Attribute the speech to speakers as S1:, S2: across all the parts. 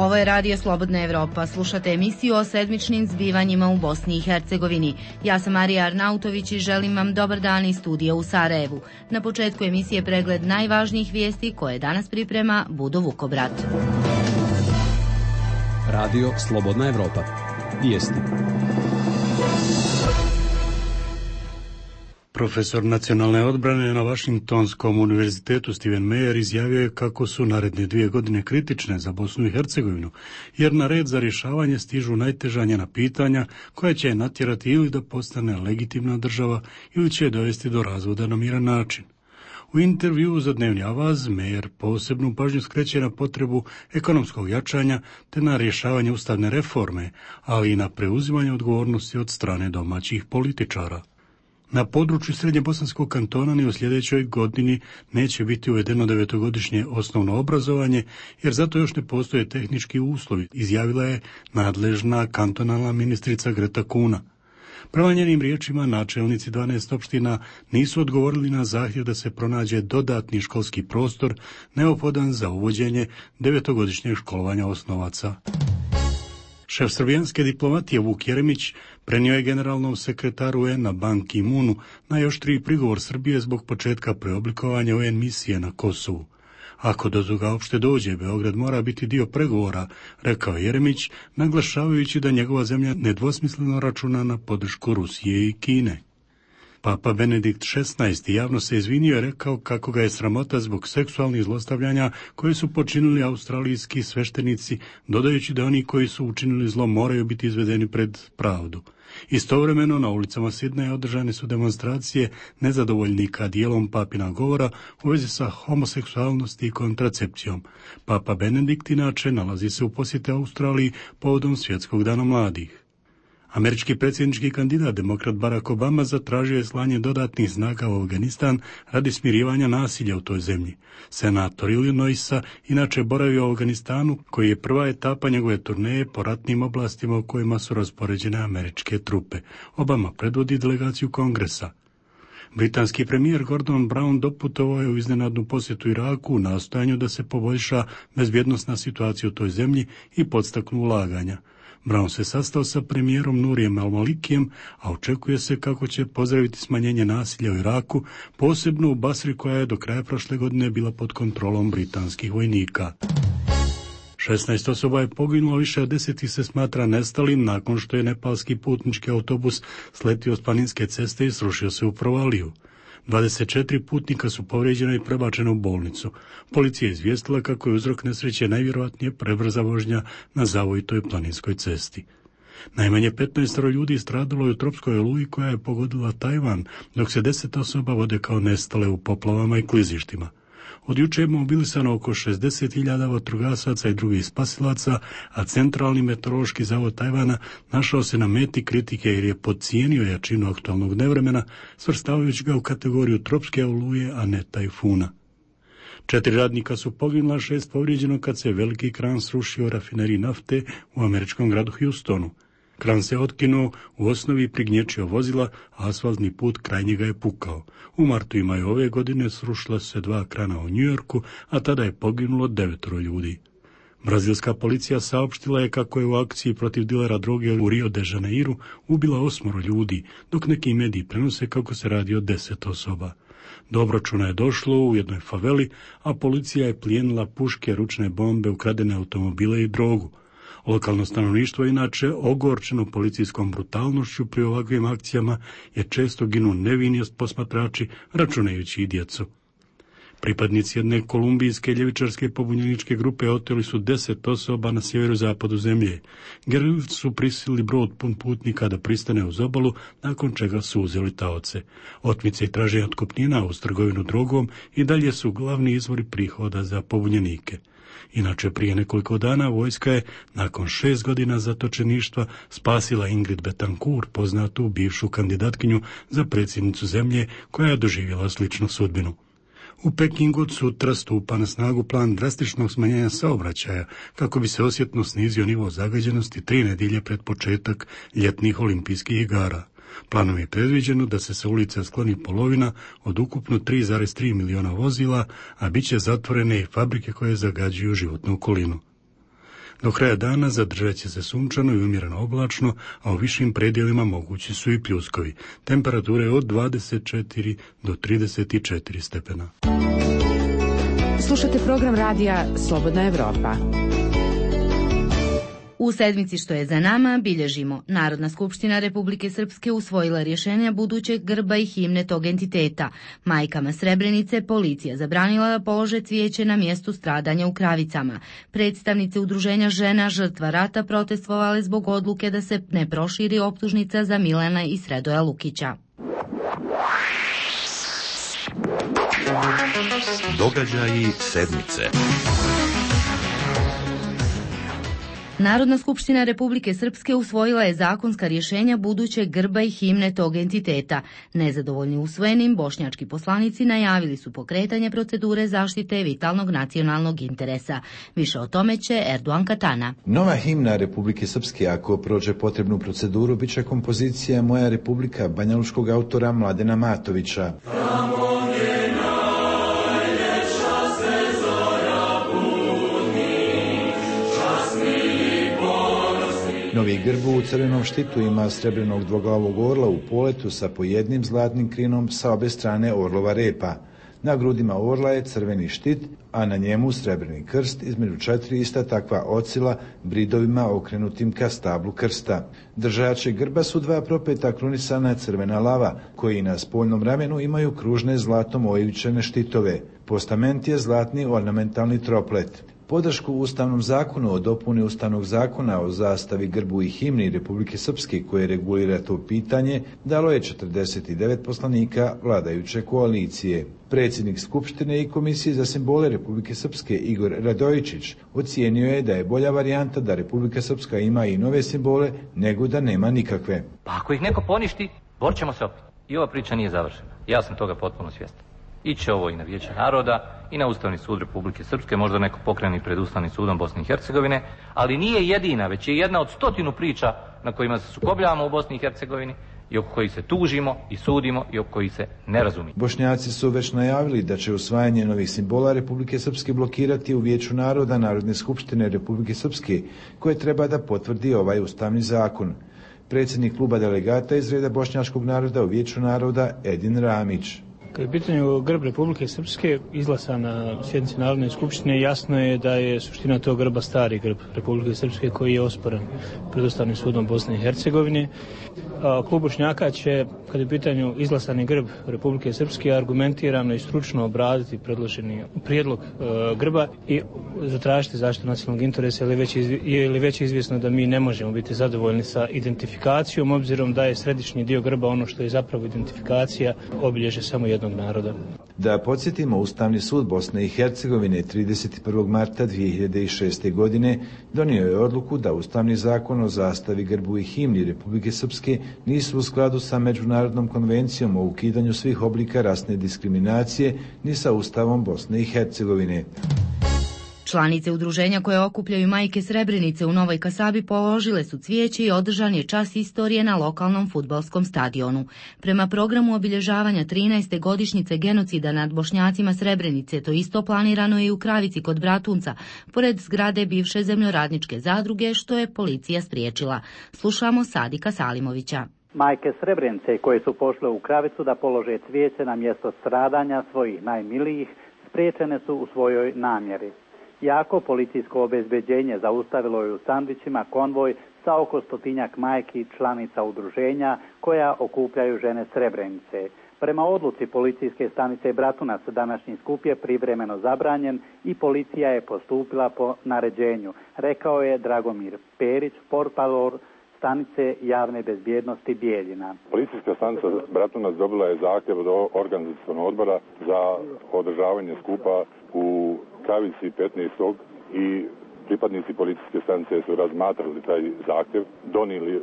S1: Ovo je Radio Slobodna Evropa. Slušate emisiju o sedmičnim zbivanjima u Bosni i Hercegovini. Ja sam Marija Arnautović i želim vam dobar dan iz studija u Sarajevu. Na početku emisije pregled najvažnijih vijesti koje danas priprema Budo Vukobrat.
S2: Radio Slobodna Evropa. Vijesti.
S3: Profesor nacionalne odbrane na Vašingtonskom univerzitetu Steven Meyer izjavio je kako su naredne 2 godine kritične za Bosnu i Hercegovinu, jer na red za rješavanje stižu najteža njena pitanja koja će je natjerati ili da postane legitimna država ili će je dovesti do razvoda na miran način. U intervjuu za Dnevni Avaz Meyer posebnu pažnju skreće na potrebu ekonomskog jačanja te na rješavanje ustavne reforme, ali i na preuzimanje odgovornosti od strane domaćih političara. Na području Srednjebosanskog kantona ni u sljedećoj godini neće biti uvedeno 9-godišnje osnovno obrazovanje, jer zato još ne postoje tehnički uslovi, izjavila je nadležna kantonalna ministrica Greta Kuna. Prema njenim riječima, načelnici 12 opština nisu odgovorili na zahtjev da se pronađe dodatni školski prostor neophodan za uvođenje 9-godišnjeg školovanja osnovaca. Šef srbijanske diplomatije Vuk Jeremić prenio je generalnom sekretaru UN-a Ban Ki-moonu najoštriji prigovor Srbije zbog početka preoblikovanja UN misije na Kosovu. Ako do toga uopšte dođe, Beograd mora biti dio pregovora, rekao Jeremić, naglašavajući da njegova zemlja nedvosmisleno računa na podršku Rusije i Kine. Papa Benedikt XVI javno se izvinio i rekao kako ga je sramota zbog seksualnih zlostavljanja koje su počinili australijski sveštenici, dodajući da oni koji su učinili zlo moraju biti izvedeni pred pravdu. Istovremeno na ulicama Sidneja održane su demonstracije nezadovoljnika dijelom papina govora u vezi sa homoseksualnosti i kontracepcijom. Papa Benedikt inače nalazi se u posjeti Australiji povodom Svjetskog dana mladih. Američki predsjednički kandidat demokrat Barack Obama zatražio je slanje dodatnih snaga u Afganistan radi smirivanja nasilja u toj zemlji. Senator Illinoisa inače boravi u Afganistanu, koji je prva etapa njegove turneje po ratnim oblastima u kojima su raspoređene američke trupe. Obama predvodi delegaciju Kongresa. Britanski premijer Gordon Brown doputovao je u iznenadnu posjetu Iraku u nastojanju da se poboljša bezbjednosna situacija u toj zemlji i podstaknu ulaganja. Brown se sastao sa premijerom Nurijem al-Malikijem, a očekuje se kako će pozdraviti smanjenje nasilja u Iraku, posebno u Basri koja je do kraja prošle godine bila pod kontrolom britanskih vojnika. 16 osoba je poginulo, više od 10 se smatra nestalim nakon što je nepalski putnički autobus sletio s planinske ceste i srušio se u provaliju. 24 putnika su povrijeđena i prebačena u bolnicu. Policija je izvijestila kako je uzrok nesreće najvjerojatnije prebrza vožnja na zavojitoj planinskoj cesti. Najmanje 15 ljudi stradalo je u tropskoj oluji koja je pogodila Tajvan, dok se 10 osoba vode kao nestale u poplavama i klizištima. Od juče je mobilisano oko 60.000 vatrogasaca i drugih spasilaca, a Centralni meteorološki zavod Tajvana našao se na meti kritike jer je podcijenio jačinu aktualnog nevremena, svrstavajući ga u kategoriju tropske oluje, a ne tajfuna. 4 radnika su poginula, 6 povrijeđeno kad se veliki kran srušio u rafineriji nafte u američkom gradu Houstonu. Kran se otkinuo, u osnovi prignječio vozila, a asfaltni put kraj njega je pukao. U martu i maju ove godine srušila se 2 krana u Njujorku, a tada je poginulo 9 ljudi. Brazilska policija saopštila je kako je u akciji protiv dilera droge u Rio de Janeiru ubila 8 ljudi, dok neki mediji prenose kako se radi o 10 osoba. Do obračuna je došlo u jednoj faveli, a policija je plijenila puške, ručne bombe, ukradene automobile i drogu. Lokalno stanovništvo, inače ogorčeno policijskom brutalnošću pri ovakvim akcijama, je često ginu nevini posmatrači, računajući i djecu. Pripadnici jedne kolumbijske ljevičarske pobunjeničke grupe oteli su 10 osoba na sjeverozapadu zemlje. Gerilci su prisilili brod pun putnika da pristane uz obalu, nakon čega su uzeli taoce. Otmice i traženje otkupnina uz trgovinu drogom i dalje su glavni izvori prihoda za pobunjenike. Inače, prije nekoliko dana vojska je, nakon 6 godina zatočeništva, spasila Ingrid Betancourt, poznatu bivšu kandidatkinju za predsjednicu zemlje, koja je doživjela sličnu sudbinu. U Pekingu od sutra stupa na snagu plan drastičnog smanjenja saobraćaja, kako bi se osjetno snizio nivo zagađenosti 3 nedjelje pred početak ljetnih olimpijskih igara. Planom je predviđeno da se sa ulica skloni polovina od ukupno 3,3 miliona vozila, a bit će zatvorene i fabrike koje zagađuju životnu okolinu. Do kraja dana zadržat će se sunčano i umjereno oblačno, a u višim predjelima mogući su i pljuskovi. Temperature od 24 do 34 stepena.
S4: Slušate program radija Slobodna Evropa.
S1: U sedmici što je za nama bilježimo: Narodna skupština Republike Srpske usvojila rješenja budućeg grba i himne tog entiteta. Majkama Srebrenice policija zabranila da polože cvijeće na mjestu stradanja u Kravicama. Predstavnice udruženja žena žrtva rata protestovale zbog odluke da se ne proširi optužnica za Milana i Sredoja Lukića.
S5: Događaji sedmice.
S1: Narodna skupština Republike Srpske usvojila je zakonska rješenja budućeg grba i himne tog entiteta. Nezadovoljni usvojenim, bošnjački poslanici najavili su pokretanje procedure zaštite vitalnog nacionalnog interesa. Više o tome će Erdogan Katana.
S6: Nova himna Republike Srpske, ako prođe potrebnu proceduru, bit će kompozicija Moja Republika banjaluškog autora Mladena Matovića. Novi grb u crvenom štitu ima srebrnog dvoglavog orla u poletu sa po jednim zlatnim krinom sa obe strane orlova repa. Na grudima orla je crveni štit, a na njemu srebrni krst, između 4 ista takva ocila bridovima okrenutim ka stablu krsta. Držači grba su 2 propeta krunisana crvena lava, koji na spoljnom ramenu imaju kružne zlatom oivičene štitove. Postament je zlatni ornamentalni troplet. Podršku Ustavnom zakonu o dopuni Ustavnog zakona o zastavi, grbu i himni Republike Srpske, koje regulira to pitanje, dalo je 49 poslanika vladajuće koalicije. Predsjednik Skupštine i Komisije za simbole Republike Srpske Igor Radojičić ocijenio je da je bolja varijanta da Republika Srpska ima i nove simbole nego da nema nikakve.
S7: Pa ako ih neko poništi, borit ćemo se opet. I ova priča nije završena. Ja sam toga potpuno svjestan. Iće ovo i na Vijeće naroda i na Ustavni sud Republike Srpske, možda neko pokreni pred Ustavnim sudom Bosne i Hercegovine, ali nije jedina, već je jedna od 100 priča na kojima se sukobljavamo u Bosni i Hercegovini i oko kojih se tužimo i sudimo i oko kojih se ne razumije.
S6: Bošnjaci su već najavili da će usvajanje novih simbola Republike Srpske blokirati u Vijeću naroda Narodne skupštine Republike Srpske, koje treba da potvrdi ovaj ustavni zakon. Predsjednik kluba delegata iz reda bošnjačkog naroda u Vijeću naroda Edin Ramić.
S8: Kad je u pitanju grb Republike Srpske izglasan na sjednici Narodne skupštine, jasno je da je suština tog grba stari grb Republike Srpske koji je osporen pred Ustavnim sudom Bosne i Hercegovine. Klub Bošnjaka će, kad je u pitanju izglasani grb Republike Srpske, argumentirano i stručno obraditi predloženi prijedlog grba i zatražiti zaštitu nacionalnog interesa, ili već izvjesno da mi ne možemo biti zadovoljni sa identifikacijom, obzirom da je središnji dio grba ono što je zapravo identifikacija, obilježje samo jednog naroda.
S6: Da podsjetimo, Ustavni sud Bosne i Hercegovine 31. marta 2006. godine donio je odluku da Ustavni zakon o zastavi, grbu i himni Republike Srpske nisu u skladu sa Međunarodnom konvencijom o ukidanju svih oblika rasne diskriminacije ni sa Ustavom Bosne i Hercegovine.
S1: Članice udruženja koje okupljaju majke Srebrenice u Novoj Kasabi položile su cvijeće i održan je čas istorije na lokalnom fudbalskom stadionu. Prema programu obilježavanja 13. godišnjice genocida nad Bošnjacima Srebrenice, to isto planirano je i u Kravici kod Bratunca, pored zgrade bivše zemljoradničke zadruge, što je policija spriječila. Slušamo Sadika Salimovića.
S9: Majke Srebrenice koje su pošle u Kravicu da polože cvijeće na mjesto stradanja svojih najmilijih, spriječene su u svojoj namjeri. Jako policijsko obezbeđenje zaustavilo je u Sandvićima konvoj sa oko 100-tinjak majki članica udruženja koja okupljaju žene Srebrenice. Prema odluci policijske stanice Bratunac današnji skup je privremeno zabranjen i policija je postupila po naređenju, rekao je Dragomir Perić, portparol stanice javne bezbjednosti Bijeljina.
S10: Policijska stanica Bratunac dobila je zahtjev od organizacionog odbora za održavanje skupa u Kravici 15. i pripadnici policijske stanice su razmatrali taj zahtjev, donijeli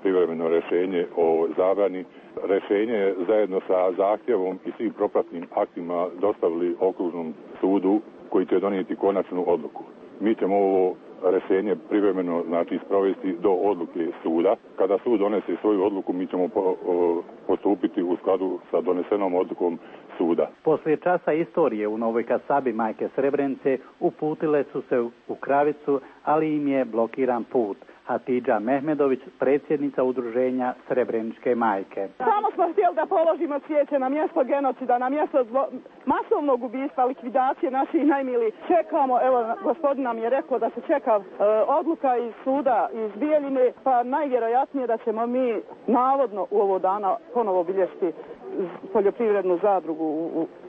S10: privremeno rješenje o zabrani. Rješenje zajedno sa zahtjevom i svim propratnim aktima dostavili okružnom sudu koji će donijeti konačnu odluku. Mi ćemo ovo rješenje privremeno znači sprovesti do odluke suda. Kada sud donese svoju odluku, mi ćemo postupiti u skladu sa donesenom odlukom suda.
S9: Poslije časa istorije u Novoj Kasabi majke Srebrenice uputile su se u Kravicu, ali im je blokiran put. Hatidža Mehmedović, predsjednica udruženja Srebreničke majke.
S11: Samo smo htjeli da položimo cvijeće na mjesto genocida, na mjesto masovnog ubistva, likvidacije naših najmilijih. Čekamo, evo, gospodin nam je rekao da se čeka odluka iz suda iz Bijeljine, pa najvjerojatnije da ćemo mi navodno u ovo dana ponovo obilješti poljoprivrednu zadrugu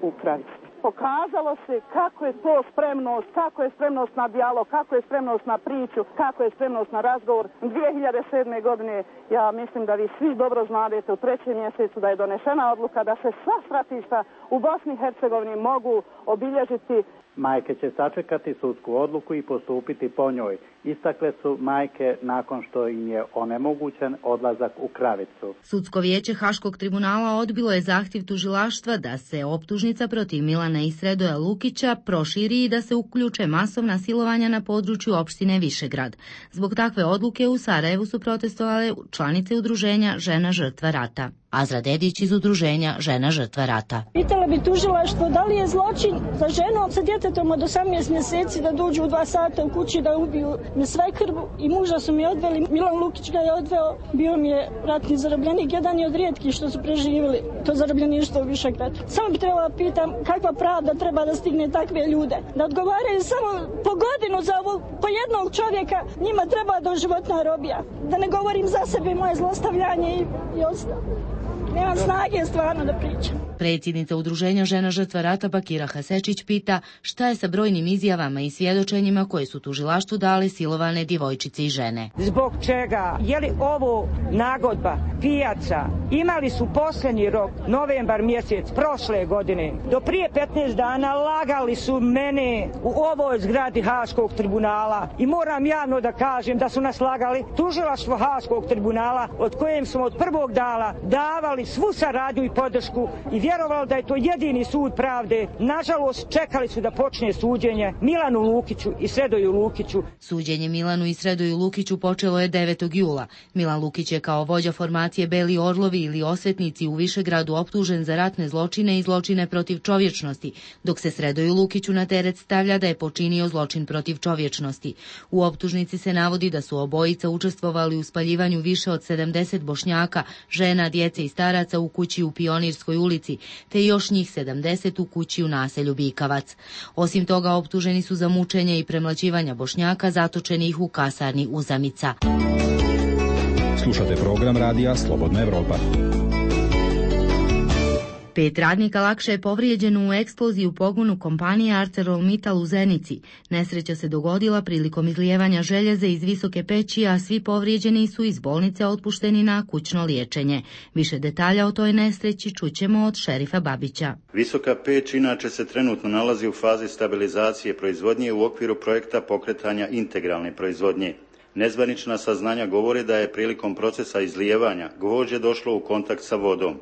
S11: u Kravici. Pokazalo se kako je to spremnost, kako je spremnost na dijalog, kako je spremnost na priču, kako je spremnost na razgovor. 2007. godine, ja mislim da vi svi dobro znadete, u 3. mjesecu da je donešena odluka da se sva stratišta u Bosni i Hercegovini mogu obilježiti.
S9: Majke će sačekati sudsku odluku i postupiti po njoj. Istakle su majke nakon što im je onemogućen odlazak u Kravicu.
S1: Sudsko vijeće Haškog tribunala odbilo je zahtjev tužilaštva da se optužnica protiv Milana i Sredoja Lukića proširi i da se uključe masovna silovanja na području opštine Višegrad. Zbog takve odluke u Sarajevu su protestovale članice udruženja Žena žrtva rata. Azra Dedić iz udruženja Žena žrtva rata.
S12: Pitala bi tužilaštvo da li je zločin za ženu sa djetetom od 18 mjeseci da dođu u 2 sata u kući da ubiju me svekrvu i muža su mi odveli. Milan Lukić ga je odveo, bio mi je ratni zarobljenik, jedan je od rijetkih što su preživjeli to zarobljeništvo u Višegradu. Samo bi trebala pitam kakva pravda treba da stigne takve ljude, da odgovaraju samo po godinu za ovo, po jednog čovjeka, njima treba doživotna robija. Da ne govorim za sebe i moje zlostavljanje i ostalo. Nemam snage stvarno da pričam.
S1: Predsjednica udruženja Žena žrtva rata Bakira Hasečić pita šta je sa brojnim izjavama i svjedočenjima koje su tužilaštvu dale silovane djevojčice i žene.
S13: Zbog čega? Je li ovo nagodba, pijaca? Imali su posljednji rok, novembar mjesec prošle godine. Do prije 15 dana lagali su mene u ovoj zgradi Haškog tribunala i moram javno da kažem da su nas lagali tužilaštvo Haškog tribunala od kojem smo od prvog dana davali svu saradnju i podršku i vjerovali da je to jedini sud pravde. Nažalost, čekali su da počne suđenje Milanu Lukiću i Sredoju Lukiću.
S1: Suđenje Milanu i Sredoju Lukiću počelo je 9. jula. Milan Lukić je kao vođa formacije Beli orlovi ili osvetnici u Višegradu optužen za ratne zločine i zločine protiv čovječnosti, dok se Sredoju Lukiću na teret stavlja da je počinio zločin protiv čovječnosti. U optužnici se navodi da su obojica učestvovali u spaljivanju više od 70 Bošnjaka, žena, djece i staraca u kući u Pionirskoj ulici, te još njih 70 u kući u naselju Bikavac. Osim toga, optuženi su za mučenje i premlaćivanja Bošnjaka zatočenih u kasarni Uzamica.
S2: Slušate program radija Slobodna Evropa.
S1: 5 radnika lakše je povrijeđeno u eksploziji u pogonu kompanije ArcelorMittal u Zenici. Nesreća se dogodila prilikom izlijevanja željeza iz visoke peći, a svi povrijeđeni su iz bolnice otpušteni na kućno liječenje. Više detalja o toj nesreći čućemo od šerifa Babića.
S14: Visoka peć inače se trenutno nalazi u fazi stabilizacije proizvodnje u okviru projekta pokretanja integralne proizvodnje. Nezvanična saznanja govore da je prilikom procesa izlijevanja gvožđe došlo u kontakt sa vodom.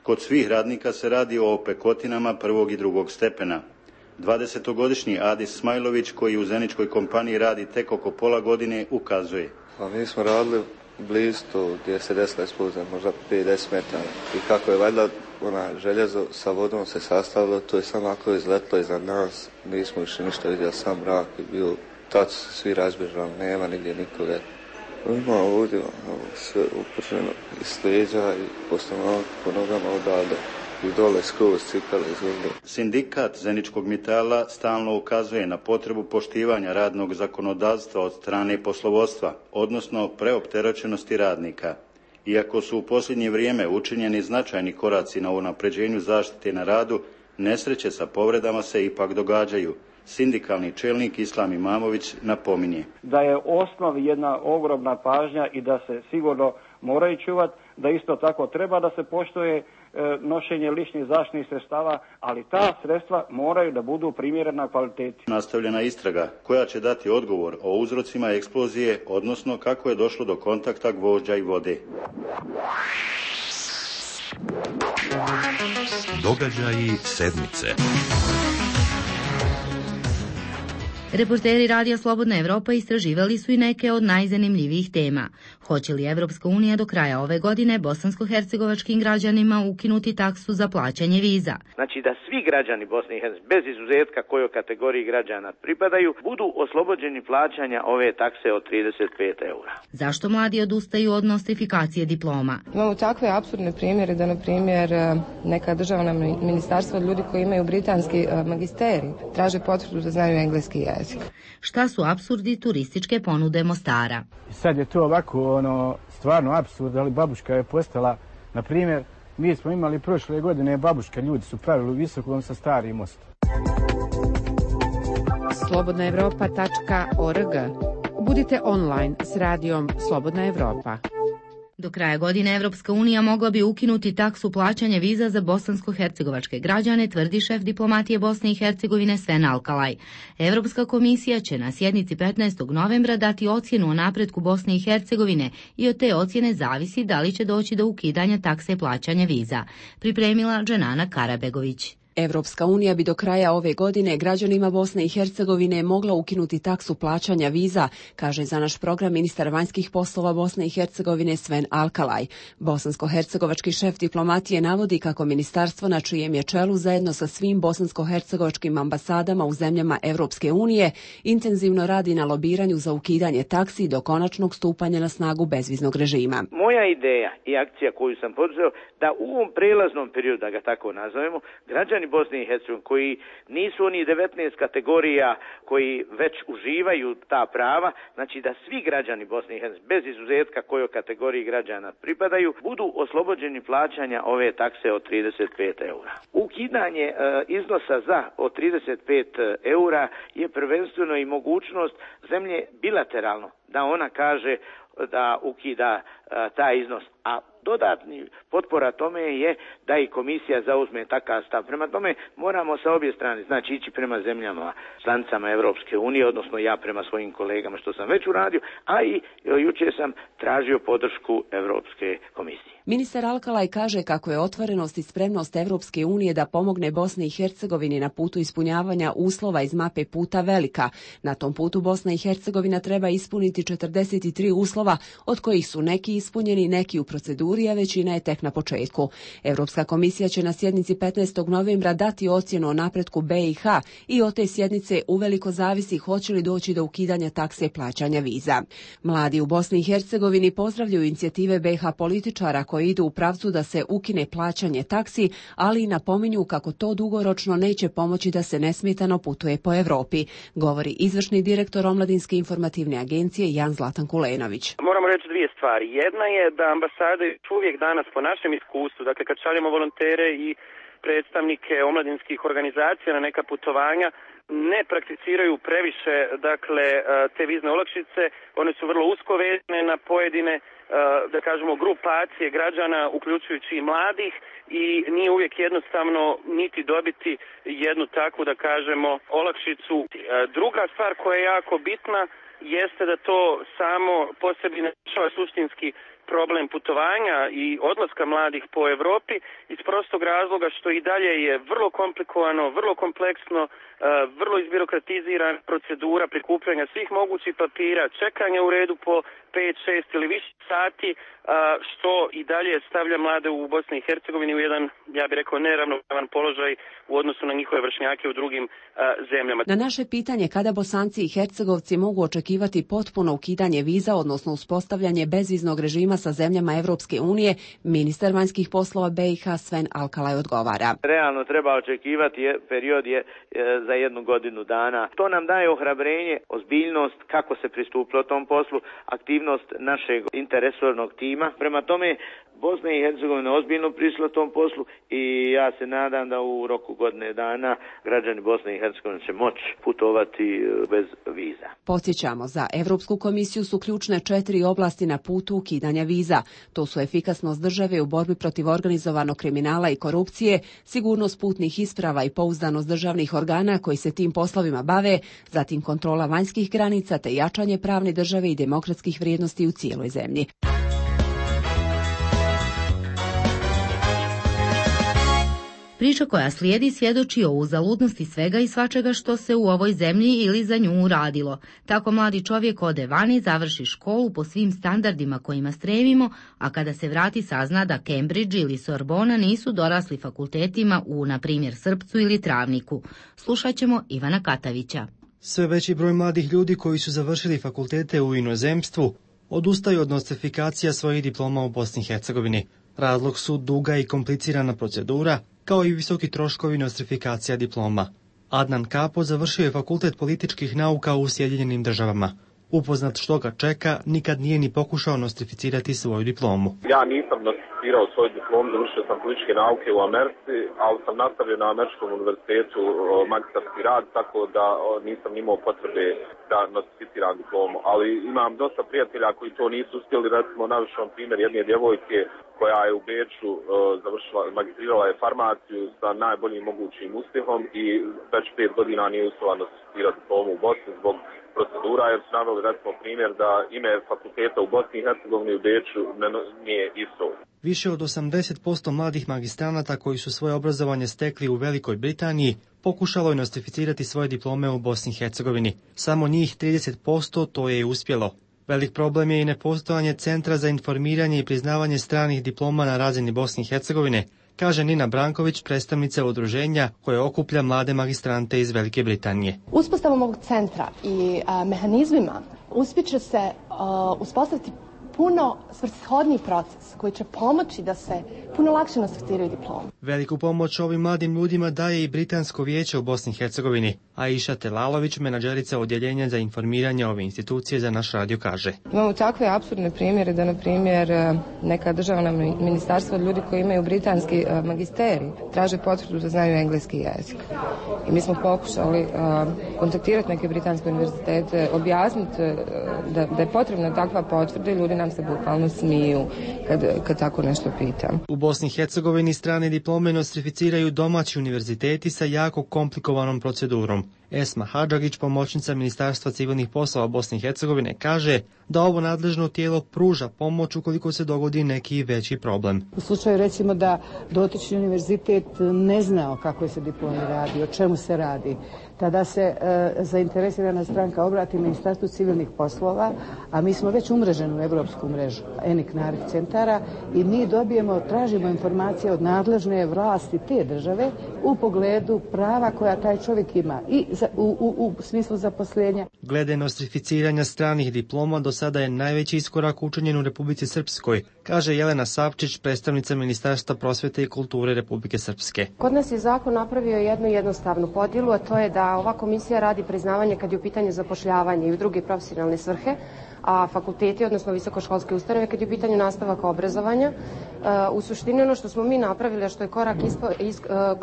S14: Kod svih radnika se radi o opekotinama 1. i 2. stepena. 20-godišnji Adis Smajlović, koji u zeničkoj kompaniji radi tek oko pola godine, ukazuje.
S15: Pa mi smo radili blizu tu gdje se desila eksplozija, možda 50 metara. I kako je valjda željezo sa vodom se sastavilo, to je samo ako je izletlo iznad nas. Nismo više ništa vidjeli, sam mrak je bio. Tad su svi razbježali, nema nigdje nikoga. Ima ovdje sve uprženo iz leđa i po nogama odavde i dole skroz cipele izvrde.
S14: Sindikat Zeničkog Mitala stalno ukazuje na potrebu poštivanja radnog zakonodavstva od strane poslovodstva, odnosno preopterećenosti radnika. Iako su u posljednje vrijeme učinjeni značajni koraci na unapređenju zaštite na radu, nesreće sa povredama se ipak događaju. Sindikalni čelnik Islam Imamović napominje
S16: da je osnov jedna ogromna pažnja i da se sigurno moraju čuvati, da isto tako treba da se poštuje nošenje ličnih zaštitnih sredstava, ali ta sredstva moraju da budu primjerena kvaliteti.
S14: Nastavljena istraga koja će dati odgovor o uzrocima eksplozije, odnosno kako je došlo do kontakta gvožđa i vode.
S5: Događaji sedmice.
S1: Reporteri Radija Slobodna Evropa istraživali su i neke od najzanimljivijih tema. Hoće li Evropska unija do kraja ove godine bosansko-hercegovačkim građanima ukinuti taksu za plaćanje viza?
S17: Znači da svi građani Bosne i Hercegovine, bez izuzetka kojoj kategoriji građana pripadaju, budu oslobođeni plaćanja ove takse od 35 eura.
S1: Zašto mladi odustaju od nostrifikacije diploma?
S18: Imamo takve apsurdne primjere da, na primjer, neka državna ministarstva od ljudi koji imaju britanski magisterij traže potvrdu da znaju engleski jezik.
S1: Šta su apsurdi turističke ponude Mostara?
S19: Sad je to ovako stvarno apsurd, ali babuška je postala, na primjer, mi smo imali prošle godine babuška, ljudi su pravili u Visokom sa Starim mostom.
S4: slobodnaevropa.org. Budite online s radijom Slobodna Evropa.
S1: Do kraja godine Evropska unija mogla bi ukinuti taksu plaćanja viza za bosansko-hercegovačke građane, tvrdi šef diplomatije Bosne i Hercegovine Sven Alkalaj. Evropska komisija će na sjednici 15. novembra dati ocjenu o napretku Bosne i Hercegovine i od te ocjene zavisi da li će doći do ukidanja takse plaćanja viza. Pripremila Dženana Karabegović.
S20: Evropska unija bi do kraja ove godine građanima Bosne i Hercegovine mogla ukinuti taksu plaćanja viza, kaže za naš program ministar vanjskih poslova Bosne i Hercegovine Sven Alkalaj. Bosansko-hercegovački šef diplomatije navodi kako ministarstvo na čijem je čelu zajedno sa svim bosansko-hercegovačkim ambasadama u zemljama Evropske unije intenzivno radi na lobiranju za ukidanje taksi do konačnog stupanja na snagu bezviznog režima.
S17: Moja ideja i akcija koju sam poduzeo da u ovom prelaznom periodu, da ga tako nazovemo, građani Bosne i Hercegovine koji nisu oni 19 kategorija koji već uživaju ta prava, znači da svi građani Bosne i Hercegovine, bez izuzetka kojoj kategoriji građana pripadaju, budu oslobođeni plaćanja ove takse od 35 eura. Ukidanje iznosa od 35 eura je prvenstveno i mogućnost zemlje bilateralno da ona kaže da ukida taj iznos, a dodatni potpora tome je da i komisija zauzme takav stav. Prema tome moramo sa obje strane, znači ići prema zemljama članicama Evropske unije, odnosno ja prema svojim kolegama što sam već uradio, a i jučer sam tražio podršku Evropske komisije.
S20: Ministar Alkalaj kaže kako je otvorenost i spremnost Evropske unije da pomogne Bosni i Hercegovini na putu ispunjavanja uslova iz mape puta velika. Na tom putu Bosna i Hercegovina treba ispuniti 43 uslova, od kojih su neki ispunjeni, neki u proceduri, a većina je tek na početku. Evropska komisija će na sjednici 15. novembra dati ocjenu o napretku BiH i od te sjednice uveliko zavisi hoće li doći do ukidanja takse plaćanja viza. Mladi u Bosni i Hercegovini pozdravljaju inicijative BiH političara koji idu u pravcu da se ukine plaćanje taksi, ali i napominju kako to dugoročno neće pomoći da se nesmetano putuje po Evropi, govori izvršni direktor Omladinske informativne agencije Jan Zlatan Kulenović.
S21: Moramo reći dvije stvari. Jedna je da ambasade uvijek danas po našem iskustvu, dakle kad šaljemo volontere i predstavnike omladinskih organizacija na neka putovanja, ne prakticiraju previše dakle te vizne olakšice, one su vrlo usko vezane na pojedine da kažemo grupacije građana uključujući i mladih i nije uvijek jednostavno niti dobiti jednu takvu da kažemo olakšicu. Druga stvar koja je jako bitna jeste da to samo po sebi ne rješava suštinski problem putovanja i odlaska mladih po Europi iz prostog razloga što i dalje je vrlo komplikovano, vrlo kompleksno, vrlo izbirokratizirana procedura prikupljanja svih mogućih papira, čekanja u redu po 5, 6 ili više sati, što i dalje stavlja mlade u Bosni i Hercegovini u jedan, ja bih rekao, neravnopravan položaj u odnosu na njihove vršnjake u drugim zemljama.
S20: Na naše pitanje kada Bosanci i Hercegovci mogu očekivati potpuno ukidanje viza, odnosno uspostavljanje bezviznog režima sa zemljama Evropske unije, ministar vanjskih poslova BiH Sven Alkalaj odgovara.
S17: Realno treba očekivati period je za 1 godinu dana. To nam daje ohrabrenje, ozbiljnost kako se pristupilo tom poslu, aktivnost našeg interresornog tima. Prema tome Bosna i Hercegovina ozbiljno prišla tom poslu i ja se nadam da u roku godine dana građani Bosne i Hercegovine će moći putovati bez viza.
S20: Podsjećamo, za Evropsku komisiju su ključne 4 oblasti na putu ukidanja viza. To su efikasnost države u borbi protiv organizovanog kriminala i korupcije, sigurnost putnih isprava i pouzdanost državnih organa koji se tim poslovima bave, zatim kontrola vanjskih granica te jačanje pravne države i demokratskih vrijednosti u cijeloj zemlji.
S1: Priča koja slijedi svjedoči o uzaludnosti svega i svačega što se u ovoj zemlji ili za nju uradilo. Tako mladi čovjek ode vani, završi školu po svim standardima kojima stremimo, a kada se vrati sazna da Cambridge ili Sorbona nisu dorasli fakultetima u, na primjer, Srpcu ili Travniku. Slušat ćemo Ivana Katavića.
S3: Sve veći broj mladih ljudi koji su završili fakultete u inozemstvu odustaju od nostrifikacija svojih diploma u Bosni i Hercegovini. Razlog su duga i komplicirana procedura, kao i visoki troškovi nostrifikacija diploma. Adnan Kapo završio je fakultet političkih nauka u Sjedinjenim Državama. Upoznat što ga čeka, nikad nije ni pokušao nostrificirati svoju diplomu.
S22: Ja nisam nostrificirao svoju diplomu, završio sam političke nauke u Americi, ali sam nastavio na Američkom univerzitetu magistarski rad, tako da nisam imao potrebe da nostrificiram diplomu. Ali imam dosta prijatelja koji to nisu uspjeli, recimo navešću vam primjer jedne djevojke koja je u Beču magistrirala je farmaciju sa najboljim mogućim uspjehom i već 5 godina nije uspjela nostrificirati diplomu u Bosni zbog procedura, jer su naveli recimo primjer da ime fakulteta u Bosni i Hercegovini u Beču nije isto.
S3: Više od 80% mladih magistranata koji su svoje obrazovanje stekli u Velikoj Britaniji pokušalo je nostrificirati svoje diplome u Bosni i Hercegovini. Samo njih 30% to je uspjelo. Velik problem je i nepostojanje Centra za informiranje i priznavanje stranih diploma na razini Bosne i Hercegovine, kaže Nina Branković, predstavnica udruženja koje okuplja mlade magistrante iz Velike Britanije.
S23: Uspostavom ovog centra i mehanizmima uspjeće se uspostaviti puno svrsishodniji proces koji će pomoći da se puno lakše nostrificiraju diplome.
S3: Veliku pomoć ovim mladim ljudima daje i Britansko vijeće u Bosni i Hercegovini. Aisha Telalović, menadžerica odjeljenja za informiranje ove institucije, za naš radio kaže.
S18: Imamo takve apsurdne primjere da, na primjer, neka državna ministarstva od ljudi koji imaju britanski magisterij traže potvrdu da znaju engleski jezik. I mi smo pokušali kontaktirati neke britanske univerzitete, objasniti da je potrebna takva potvrda i ljudi nam se bukvalno smiju kad tako nešto pitam.
S3: U Bosni i Hercegovini strane diplome nostrificiraju domaći univerziteti sa jako komplikovanom procedurom. Esma Hadžagić, pomoćnica Ministarstva civilnih poslova Bosne i Hercegovine, kaže da ovo nadležno tijelo pruža pomoć ukoliko se dogodi neki veći problem.
S24: U slučaju recimo da dotični univerzitet ne zna o kakvoj se diplomi radi, o čemu se radi, tada se zainteresirana stranka obrati Ministarstvu civilnih poslova, a mi smo već umreženi u evropsku mrežu ENIC-NARIC centara i mi tražimo informacije od nadležne vlasti te države u pogledu prava koja taj čovjek ima i u smislu zaposlenja.
S3: Glede nostrificiranja stranih diploma do sada je najveći iskorak učinjen u Republici Srpskoj, kaže Jelena Savčić, predstavnica Ministarstva prosvete i kulture Republike Srpske.
S25: Kod nas je zakon napravio jednu jednostavnu podjelu, a to je da ova komisija radi priznavanje kad je u pitanju zapošljavanje i u druge profesionalne svrhe, a fakulteti, odnosno visokoškolske ustanove, kad je u pitanju nastavaka obrazovanja. U suštini ono što smo mi napravili, a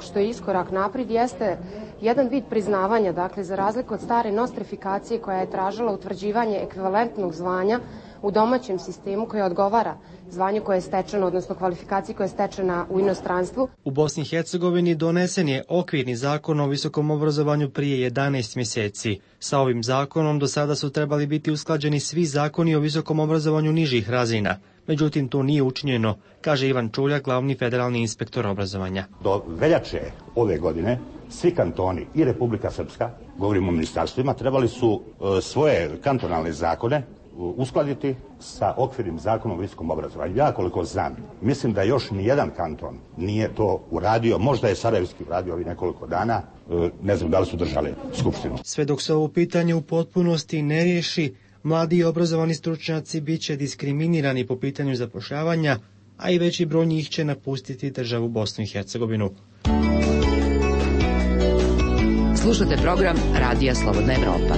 S25: što je iskorak naprijed, jeste jedan vid priznavanja, dakle za razliku od stare nostrifikacije koja je tražila utvrđivanje ekvivalentnog zvanja u domaćem sistemu koje odgovara zvanju koje je stečeno, odnosno kvalifikaciji koja je stečena u inostranstvu.
S3: U Bosni i Hercegovini donesen je okvirni zakon o visokom obrazovanju prije 11 mjeseci. Sa ovim zakonom do sada su trebali biti usklađeni svi zakoni o visokom obrazovanju nižih razina. Međutim, to nije učinjeno, kaže Ivan Čuljak, glavni federalni inspektor obrazovanja.
S26: Do veljače ove godine svi kantoni i Republika Srpska, govorimo o ministarstvima, trebali su svoje kantonalne zakone uskladiti sa okvirnim zakonom o visokom obrazovanju. Ja koliko znam, mislim da još nijedan kanton nije to uradio, možda je Sarajevski uradio ovih nekoliko dana, ne znam da li su držali skupštinu.
S3: Sve dok se ovo pitanje u potpunosti ne riješi, mladi i obrazovani stručnjaci bit će diskriminirani po pitanju zapošljavanja, a i veći broj njih će napustiti državu Bosnu i Hercegovinu.
S27: Slušate program Radija Slobodna Evropa.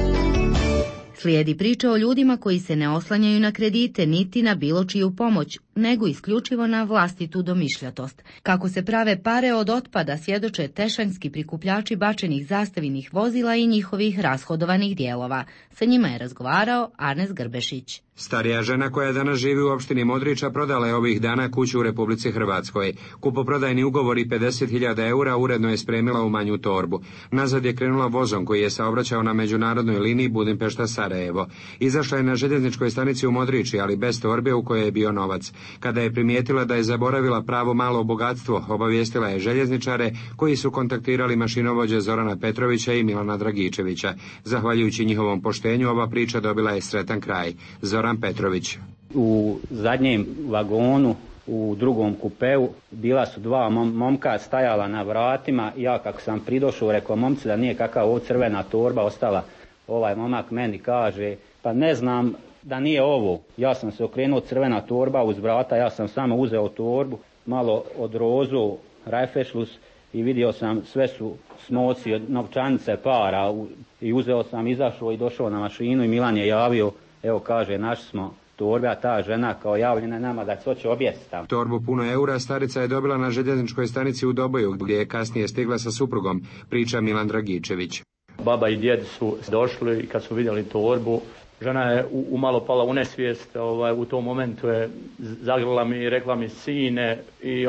S1: Slijedi priča o ljudima koji se ne oslanjaju na kredite niti na bilo čiju pomoć, nego isključivo na vlastitu domišljatost. Kako se prave pare od otpada svjedoče tešanjski prikupljači bačenih zastavinih vozila i njihovih rashodovanih dijelova. Sa njima je razgovarao Arnes Grbešić.
S28: Starija žena koja danas živi u opštini Modriča prodala je ovih dana kuću u Republici Hrvatskoj. Kupoprodajni ugovor i 50.000 eura uredno je spremila u manju torbu. Nazad je krenula vozom koji je saobraćao na međunarodnoj liniji Budimpešta-Sarajevo. Izašla je na željezničkoj stanici u Modriči, ali bez torbe u kojoj je bio novac. Kada je primijetila da je zaboravila pravo malo bogatstvo, obavijestila je željezničare koji su kontaktirali mašinovođe Zorana Petrovića i Milana Dragičevića. Zahvaljujući njihovom poštenju, ova priča dobila je sretan kraj. Zoran Petrović.
S6: U zadnjem vagonu, u drugom kupeu, bila su dva momka stajala na vratima. Ja kako sam pridošao, rekao momci da nije kakav ovo crvena torba ostala. Ovaj momak meni kaže, pa ne znam da nije ovo. Ja sam se okrenuo, crvena torba uz vrata, ja sam samo uzeo torbu, malo od rozu, rajfešlus i vidio sam sve su smoci od novčanice para i uzeo sam, izašao i došao na mašinu i Milan je javio, evo kaže, našli smo torbe, a ta žena kao javljena nama da se hoće objesiti tamo.
S28: Torbu puno eura starica je dobila na željezničkoj stanici u Doboju, gdje je kasnije stigla sa suprugom, priča Milan Dragičević.
S7: Baba i djed su došli i kad su vidjeli torbu, žena je umalo pala u nesvijest, u tom momentu je zagrla mi i rekla mi, sine, i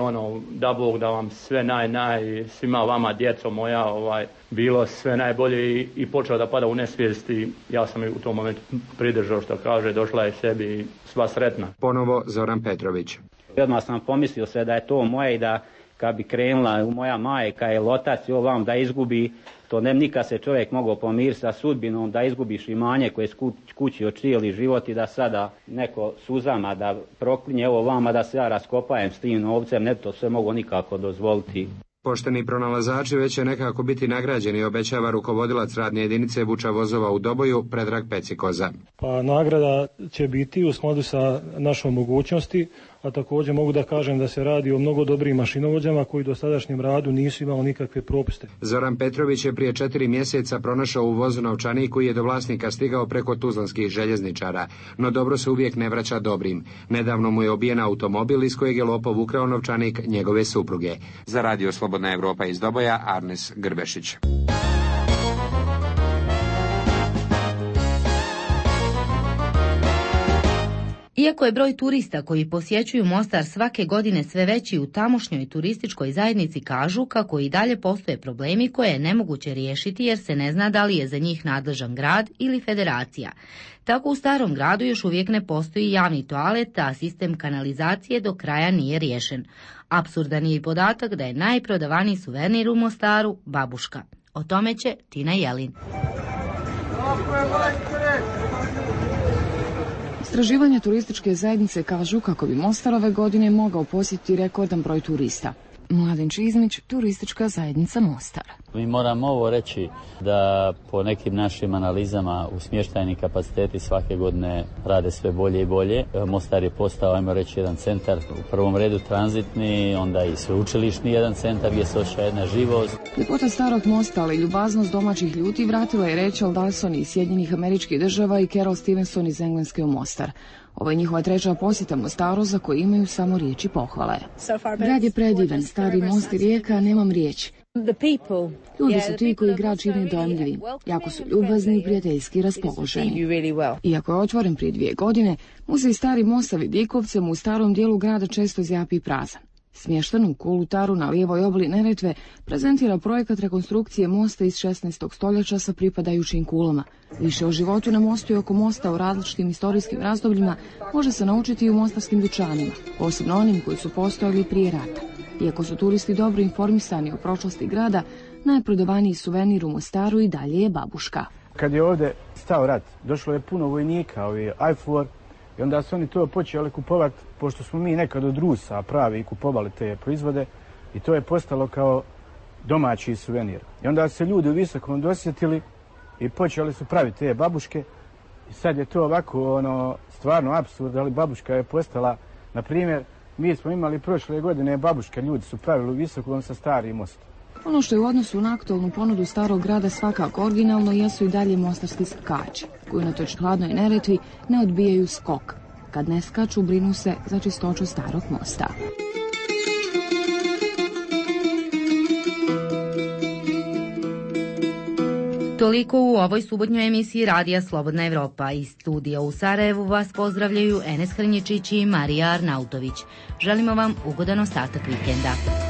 S7: da Bog da vam sve svima vama, djeco moja, bilo sve najbolje, i počela da pada u nesvijest i ja sam je u tom momentu pridržao, što kaže, došla je sebi i sva sretna.
S28: Ponovo Zoran Petrović.
S6: Odmah sam pomislio se da je to moje i da kad bi krenula moja majka ili otac i ovam da izgubi, to ne nikad se čovjek mogao pomiriti sa sudbinom, da izgubiš imanje koje je kućio cijeli život i da sada neko suzama da proklinje ovo vama da se ja raskopajem s tim novcem, ne to sve mogu nikako dozvoliti.
S28: Pošteni pronalazači već će nekako biti nagrađeni, obećava rukovodilac radne jedinice vuča vozova u Doboju, Predrag Pecikoza.
S8: Pa nagrada će biti u skladu sa našom mogućnosti, a također mogu da kažem da se radi o mnogo dobrim mašinovođama koji do sadašnjem radu nisu imali nikakve propuste.
S28: Zoran Petrović je prije 4 mjeseca pronašao u vozu novčanik koji je do vlasnika stigao preko tuzlanskih željezničara, no dobro se uvijek ne vraća dobrim. Nedavno mu je obijen automobil iz kojeg je lopov ukrao novčanik njegove supruge. Za Radio Slobodna Evropa iz Doboja, Arnes Grbešić.
S1: Iako je broj turista koji posjećuju Mostar svake godine sve veći, u tamošnjoj turističkoj zajednici kažu kako i dalje postoje problemi koje je nemoguće riješiti jer se ne zna da li je za njih nadležan grad ili federacija. Tako u Starom gradu još uvijek ne postoji javni toalet, a sistem kanalizacije do kraja nije riješen. Apsurdan je i podatak da je najprodavaniji suvenir u Mostaru babuška. O tome će Tina Jelin.
S9: Istraživanja turističke zajednice kažu kako bi Mostar ove godine mogao posjetiti rekordan broj turista. Mladen Čizmić, turistička zajednica Mostar.
S10: Mi moramo ovo reći da po nekim našim analizama u smještajni kapaciteti svake godine rade sve bolje i bolje. Mostar je postao, ajmo reći, jedan centar, u prvom redu tranzitni, onda i sveučilišni jedan centar gdje se osjeća jedna živost.
S9: Ljepota starog mosta, ali ljubaznost domaćih ljudi vratila je Rachel Dawson iz Sjedinjenih Američkih Država i Carol Stevenson iz Engleske u Mostar. Ovo je njihova treća posjeta Mostaru za koju imaju samo riječi pohvale. Grad je predivan, stari most i rijeka, nemam riječi. Ljudi su ti koji grad čine dojmljivim, jako su ljubazni i prijateljski raspoloženi. Iako je otvoren prije 2 godine, muzej Stari most sa vidikovcem u starom dijelu grada često zjapi prazan. Smješten u Kolutaru na lijevoj obali Neretve prezentira projekat rekonstrukcije mosta iz 16. stoljeća sa pripadajućim kulama. Više o životu na mostu i oko mosta u različitim istorijskim razdobljima može se naučiti i u mostarskim dućanima, posebno onim koji su postojali prije rata. Iako su turisti dobro informisani o prošlosti grada, najprodavaniji suvenir u Mostaru i dalje je babuška.
S19: Kad je ovdje stao rat, došlo je puno vojnika, IFOR, i onda su oni to počeli kupovati, pošto smo mi nekad od Rusa pravi kupovali te proizvode, i to je postalo kao domaći suvenir. I onda se ljudi u Visokom dosjetili i počeli su praviti te babuške. I sad je to ovako stvarno apsurd, ali babuška je postala, na primjer, mi smo imali prošle godine babuške, ljudi su pravili u Visokom sa Stari most.
S9: Ono što je u odnosu na aktualnu ponudu starog grada svakako originalno jesu i dalje mostarski skači, koji unatoč hladnoj Neretvi ne odbijaju skok. Kad ne skaču, brinu se za čistoću starog mosta.
S1: Toliko u ovoj subotnjoj emisiji Radija Slobodna Evropa. Iz studija u Sarajevu vas pozdravljaju Enes Hrnječić i Marija Arnautović. Želimo vam ugodan ostatak vikenda.